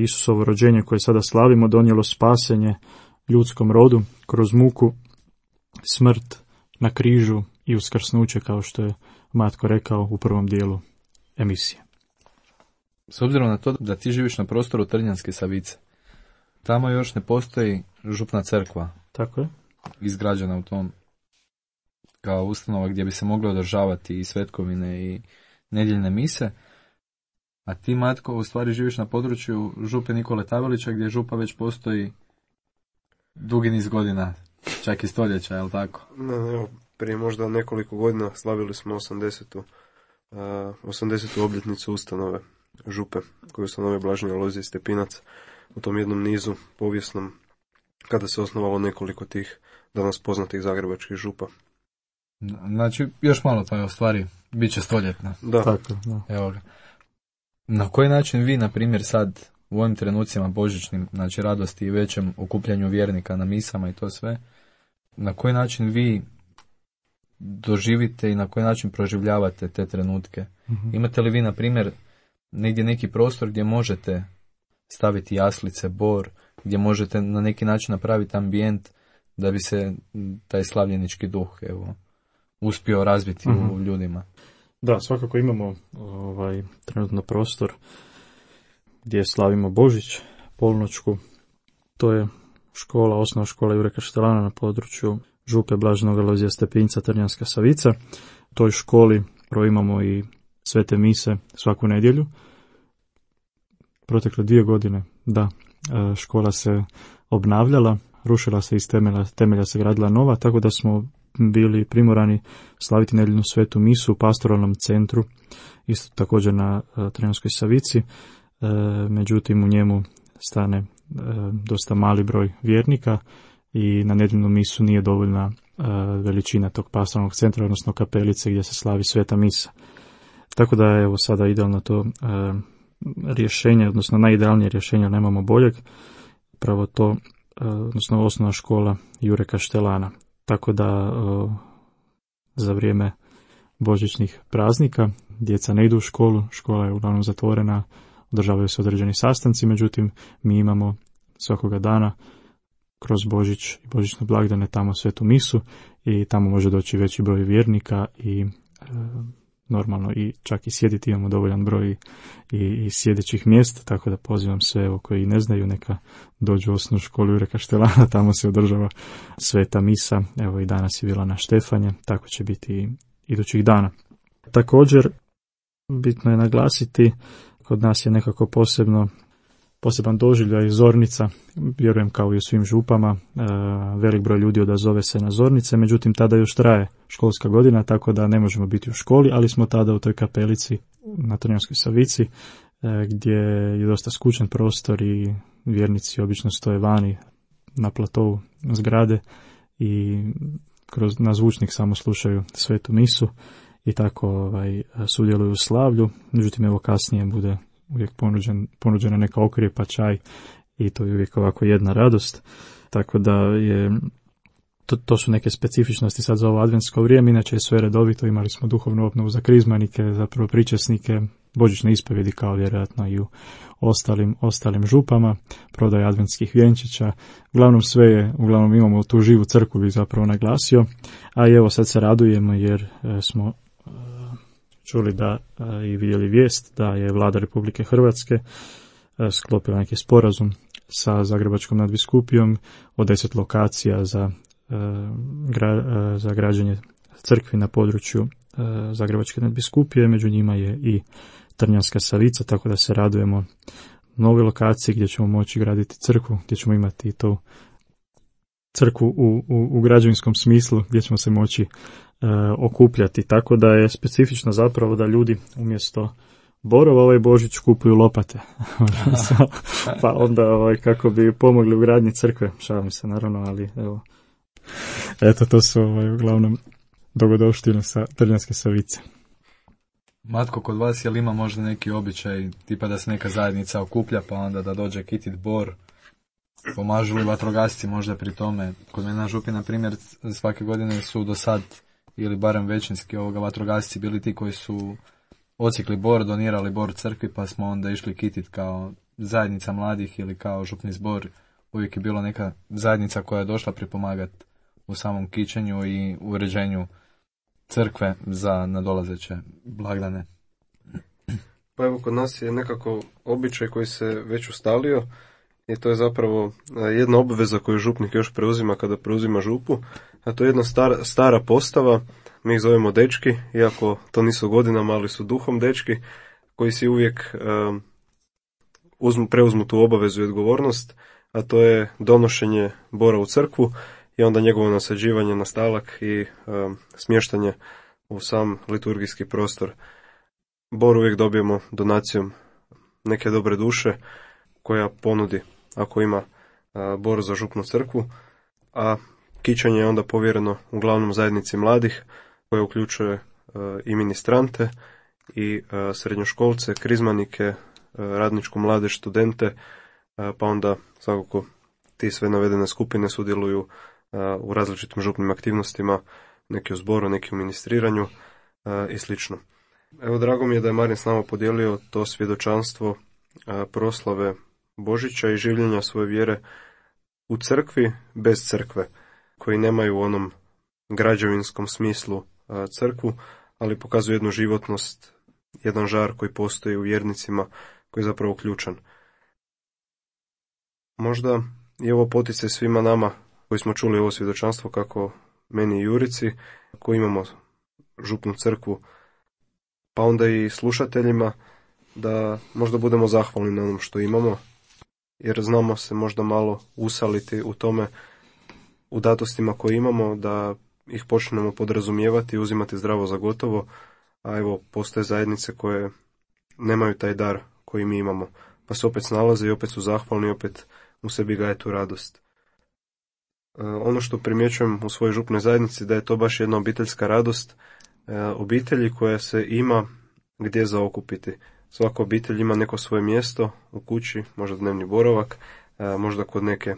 Isusovo rođenje koje sada slavimo, donijelo spasenje ljudskom rodu kroz muku, smrt na križu i uskrsnuće, kao što je Matko rekao u prvom dijelu emisije. S obzirom na to da ti živiš na prostoru Trnjanske Savice, tamo još ne postoji župna crkva. Tako je. Izgrađena u tom kao ustanova gdje bi se mogle održavati i svetkovine i nedjeljne mise. A ti, Matko, u stvari živiš na području župe Nikole Tavelića, gdje župa već postoji dugi niz godina, čak i stoljeća, je li tako? Ne, ne, prije možda nekoliko godina slavili smo osamdesetu. Uh, osamdesetu obljetnicu ustanove župe, koju ustanovio Blaženje Alojzije Stepinac u tom jednom nizu povijesnom, kada se osnovalo nekoliko tih danas poznatih zagrebačkih župa. Znači, još malo pa je u stvari, bit će stoljetna. Da. Tako, da. Evo ga. Na koji način vi, na primjer, sad u ovim trenucima božićnim, znači radosti i većem okupljanju vjernika na misama i to sve, na koji način vi doživite i na koji način proživljavate te trenutke? Mm-hmm. Imate li vi, na primjer, negdje neki prostor gdje možete staviti jaslice, bor, gdje možete na neki način napraviti ambijent da bi se taj slavljenički duh evo, uspio razviti mm-hmm. u ljudima? Da, svakako imamo ovaj trenutno prostor gdje slavimo Božić, polnoćku. To je škola, osnovna škola Jure Kaštelana na području župe Blaženog Alojzija Stepinca, Trnjanska Savica. U toj školi prvo imamo i svete mise svaku nedjelju. Protekle dvije godine, da, škola se obnavljala, rušila se iz temelja, temelja se gradila nova, tako da smo bili primorani slaviti nedjeljnu svetu misu u pastoralnom centru, isto također na Trnjanskoj Savici, e, međutim u njemu stane e, dosta mali broj vjernika i na nedjeljnu misu nije dovoljna e, veličina tog pastoralnog centra, odnosno kapelice gdje se slavi sveta misa. Tako da je evo sada idealno to e, rješenje, odnosno najidealnije rješenje, nemamo boljeg, pravo to, e, odnosno osnovna škola Jure Kaštelana. Tako da o, za vrijeme božićnih praznika djeca ne idu u školu, škola je uglavnom zatvorena, održavaju se određeni sastanci, međutim mi imamo svakoga dana kroz Božić i božićne blagdane tamo svetu misu i tamo može doći veći broj vjernika i e, normalno i čak i sjediti imamo dovoljan broj i, i sjedećih mjesta, tako da pozivam sve evo, koji ne znaju neka dođu u osnovnu školu Jure Kaštelana, tamo se održava sveta misa, evo i danas je bila na Štefanje, tako će biti i idućih dana. Također, bitno je naglasiti, kod nas je nekako posebno poseban doživljaj zornica, vjerujem kao i u svim župama, e, velik broj ljudi odazove se na zornice, međutim tada još traje školska godina, tako da ne možemo biti u školi, ali smo tada u toj kapelici na Trnjanskoj Savici, e, gdje je dosta skučen prostor i vjernici obično stoje vani na platovu zgrade i kroz, na zvučnik samo slušaju svetu misu i tako ovaj, sudjeluju u slavlju, međutim evo kasnije bude uvijek ponuđen, ponuđena neka okrijepa, čaj i to je uvijek ovako jedna radost. Tako da je, to, to su neke specifičnosti sad za ovo adventsko vrijeme, inače je sve redovito, imali smo duhovnu obnovu za krizmanike, zapravo pričesnike, božićne ispovjedi kao vjerojatno i u ostalim, ostalim župama, prodaje adventskih vjenčića, uglavnom sve je, uglavnom imamo tu živu crkvu bih zapravo naglasio, a i evo sad se radujemo jer e, smo čuli da i vidjeli vijest da je Vlada Republike Hrvatske sklopila neki sporazum sa Zagrebačkom nadbiskupijom o deset lokacija za, za građenje crkvi na području Zagrebačke nadbiskupije, među njima je i Trnjanska Savica, tako da se radujemo novoj lokaciji gdje ćemo moći graditi crkvu, gdje ćemo imati to crkvu u, u, u građevinskom smislu, gdje ćemo se moći e, okupljati. Tako da je specifično zapravo da ljudi umjesto borova ovaj Božić kupuju lopate. Pa onda ovaj, kako bi pomogli u gradnji crkve. Šalim se naravno, ali evo. Eto, to su ovaj, uglavnom dogodovštine sa Trnjanske Savice. Matko, kod vas je li ima možda neki običaj, tipa da se neka zajednica okuplja, pa onda da dođe kitit bor, pomažu li vatrogasci možda pri tome? Kod mene na Župi, na primjer, svake godine su do sad, ili barem većinski ovoga vatrogasci bili ti koji su ocikli bor, donirali bor crkvi, pa smo onda išli kitit kao zajednica mladih ili kao župni zbor. Uvijek je bilo neka zajednica koja je došla pripomagati u samom kićenju i uređenju crkve za nadolazeće blagdane. Pa evo, kod nas je nekako običaj koji se već ustalio i to je zapravo jedna obveza koju župnik još preuzima kada preuzima župu, a to je jedna stara, stara postava, mi ih zovemo dečki, iako to nisu godinama, ali su duhom dečki, koji si uvijek um, uzmu, preuzmu tu obavezu i odgovornost, a to je donošenje bora u crkvu i onda njegovo nasađivanje na stalak i um, smještanje u sam liturgijski prostor. Bor uvijek dobijemo donacijom neke dobre duše koja ponudi ako ima uh, bor za župnu crkvu, a kićanje je onda povjereno uglavnom zajednici mladih koja uključuje uh, i ministrante i uh, srednjoškolce, krizmanike, uh, radničku mladež, studente, uh, pa onda svakako ti sve navedene skupine sudjeluju uh, u različitim župnim aktivnostima, neki u zboru, neki u ministriranju uh, i slično. Evo, drago mi je da je Marin s nama podijelio to svjedočanstvo uh, proslave Božića i življenja svoje vjere u crkvi bez crkve, koji nemaju u onom građevinskom smislu uh, crkvu, ali pokazuju jednu životnost, jedan žar koji postoji u vjernicima, koji je zapravo ključan. Možda je ovo poticaj svima nama koji smo čuli ovo svjedočanstvo, kako meni i Jurici, koji imamo župnu crkvu, pa onda i slušateljima, da možda budemo zahvalni na onom što imamo, jer znamo se možda malo usaliti u tome, u datostima koje imamo, da ih počnemo podrazumijevati i uzimati zdravo za gotovo, a evo, postoje zajednice koje nemaju taj dar koji mi imamo, pa se opet snalaze i opet su zahvalni i opet u sebi gaje tu radost. E, ono što primjećujem u svojoj župnoj zajednici, da je to baš jedna obiteljska radost, e, obitelji koja se ima gdje zaokupiti. Svaka obitelj ima neko svoje mjesto u kući, možda dnevni boravak, e, možda kod neke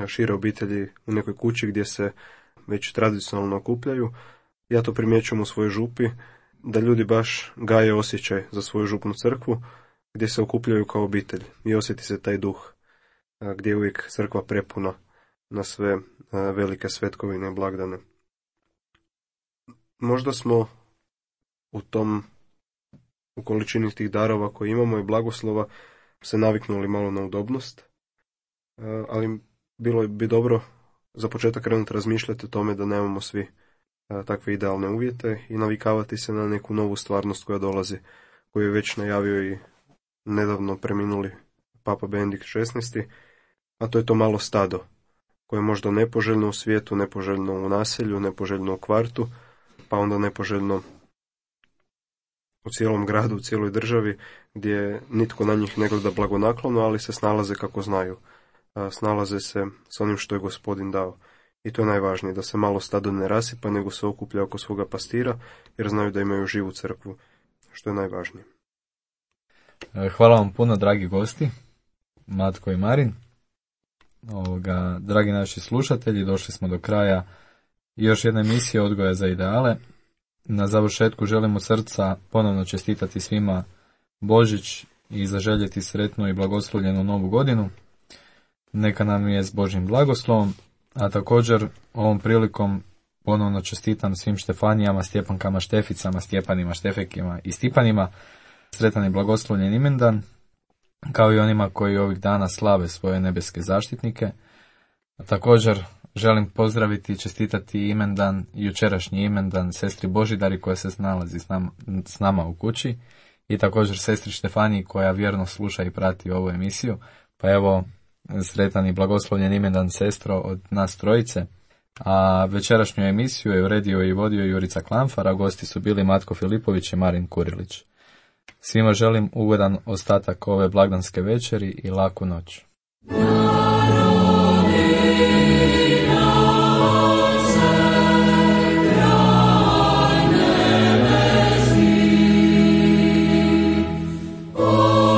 šire obitelji u nekoj kući gdje se već tradicionalno okupljaju. Ja to primjećujem u svojoj župi, da ljudi baš gaje osjećaj za svoju župnu crkvu, gdje se okupljaju kao obitelj i osjeti se taj duh, gdje je uvijek crkva prepuna na sve velike svetkovine i blagdane. Možda smo u tom, u količini tih darova koje imamo i blagoslova, se naviknuli malo na udobnost, ali bilo bi dobro za početak krenuti razmišljati o tome da nemamo svi takve idealne uvjete i navikavati se na neku novu stvarnost koja dolazi, koju je već najavio i nedavno preminuli Papa Benedikt šesnaesti, a to je to malo stado, koje je možda nepoželjno u svijetu, nepoželjno u naselju, nepoželjno u kvartu, pa onda nepoželjno u cijelom gradu, u cijeloj državi, gdje nitko na njih ne gleda blagonaklono, ali se snalaze kako znaju. Snalaze se s onim što je Gospodin dao. I to je najvažnije, da se malo stado ne rasipa, nego se okuplja oko svoga pastira, jer znaju da imaju živu crkvu, što je najvažnije. Hvala vam puno, dragi gosti, Matko i Marin. Ovoga, dragi naši slušatelji, došli smo do kraja još jedne emisije Odgoja za ideale. Na završetku želim od srca ponovno čestitati svima Božić i zaželjeti sretnu i blagoslovljenu novu godinu. Neka nam je s Božjim blagoslovom, a također ovom prilikom ponovno čestitam svim Štefanijama, Stjepankama, Šteficama, Stjepanima, Štefekima i Stipanima sretan i blagoslovljen imendan, kao i onima koji ovih dana slave svoje nebeske zaštitnike. A također želim pozdraviti i čestitati imendan, jučerašnji imendan sestri Božidari koja se nalazi s nama, s nama u kući i također sestri Štefaniji koja vjerno sluša i prati ovu emisiju. Pa evo, sretan i blagoslovljen imendan sestro od nas trojice. A večerašnju emisiju je uredio i vodio Jurica Klamfar, a gosti su bili Matko Filipović i Marin Kurilić. Svima želim ugodan ostatak ove blagdanske večeri i laku noć. Oh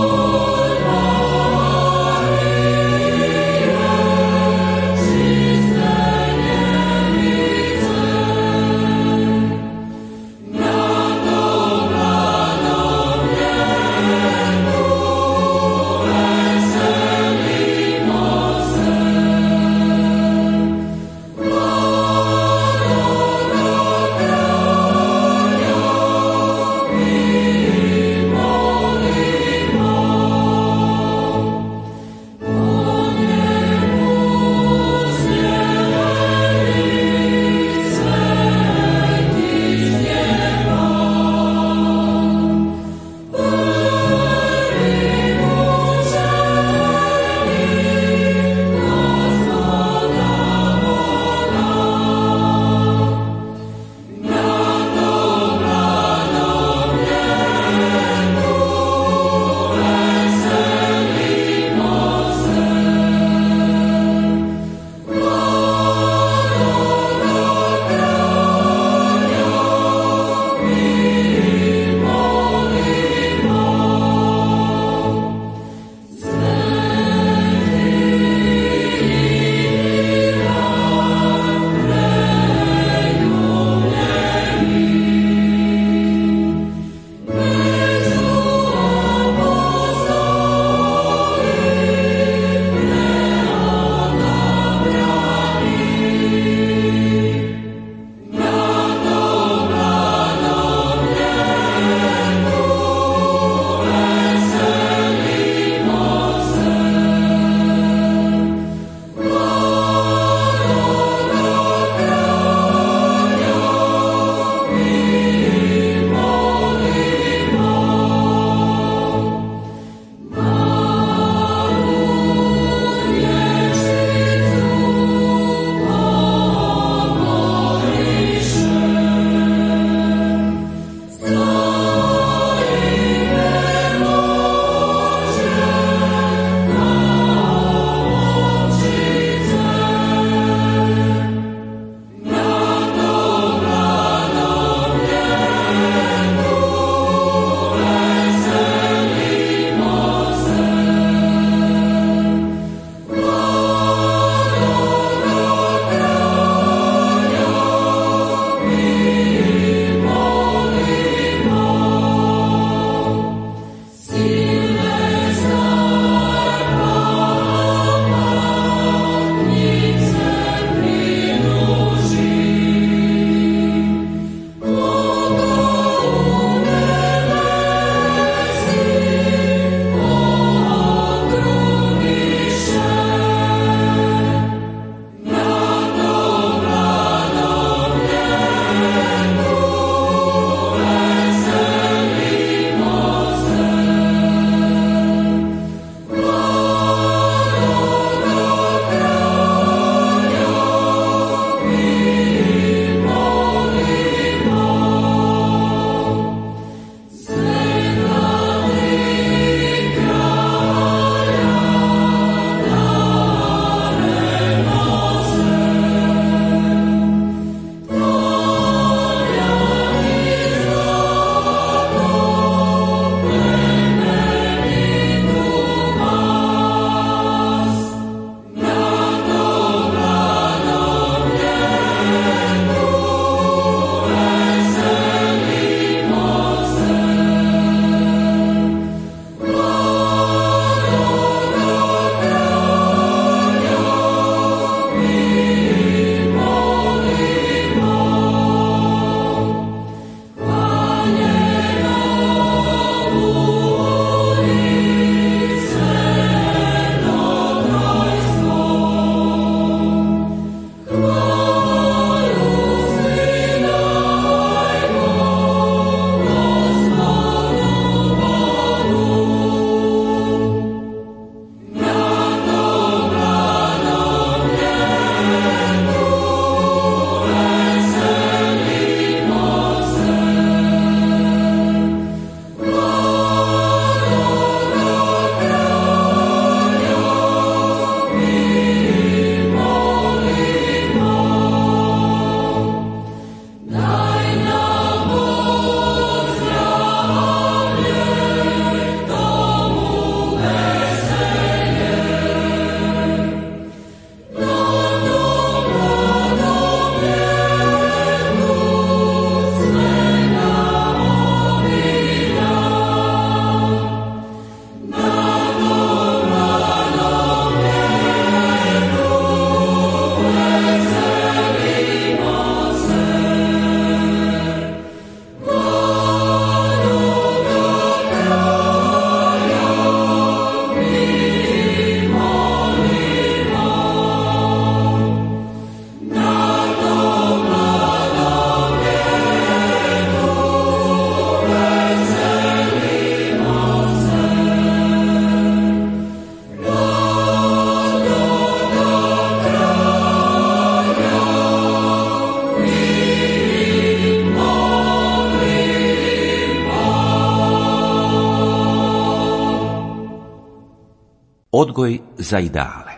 Odgoj za ideale.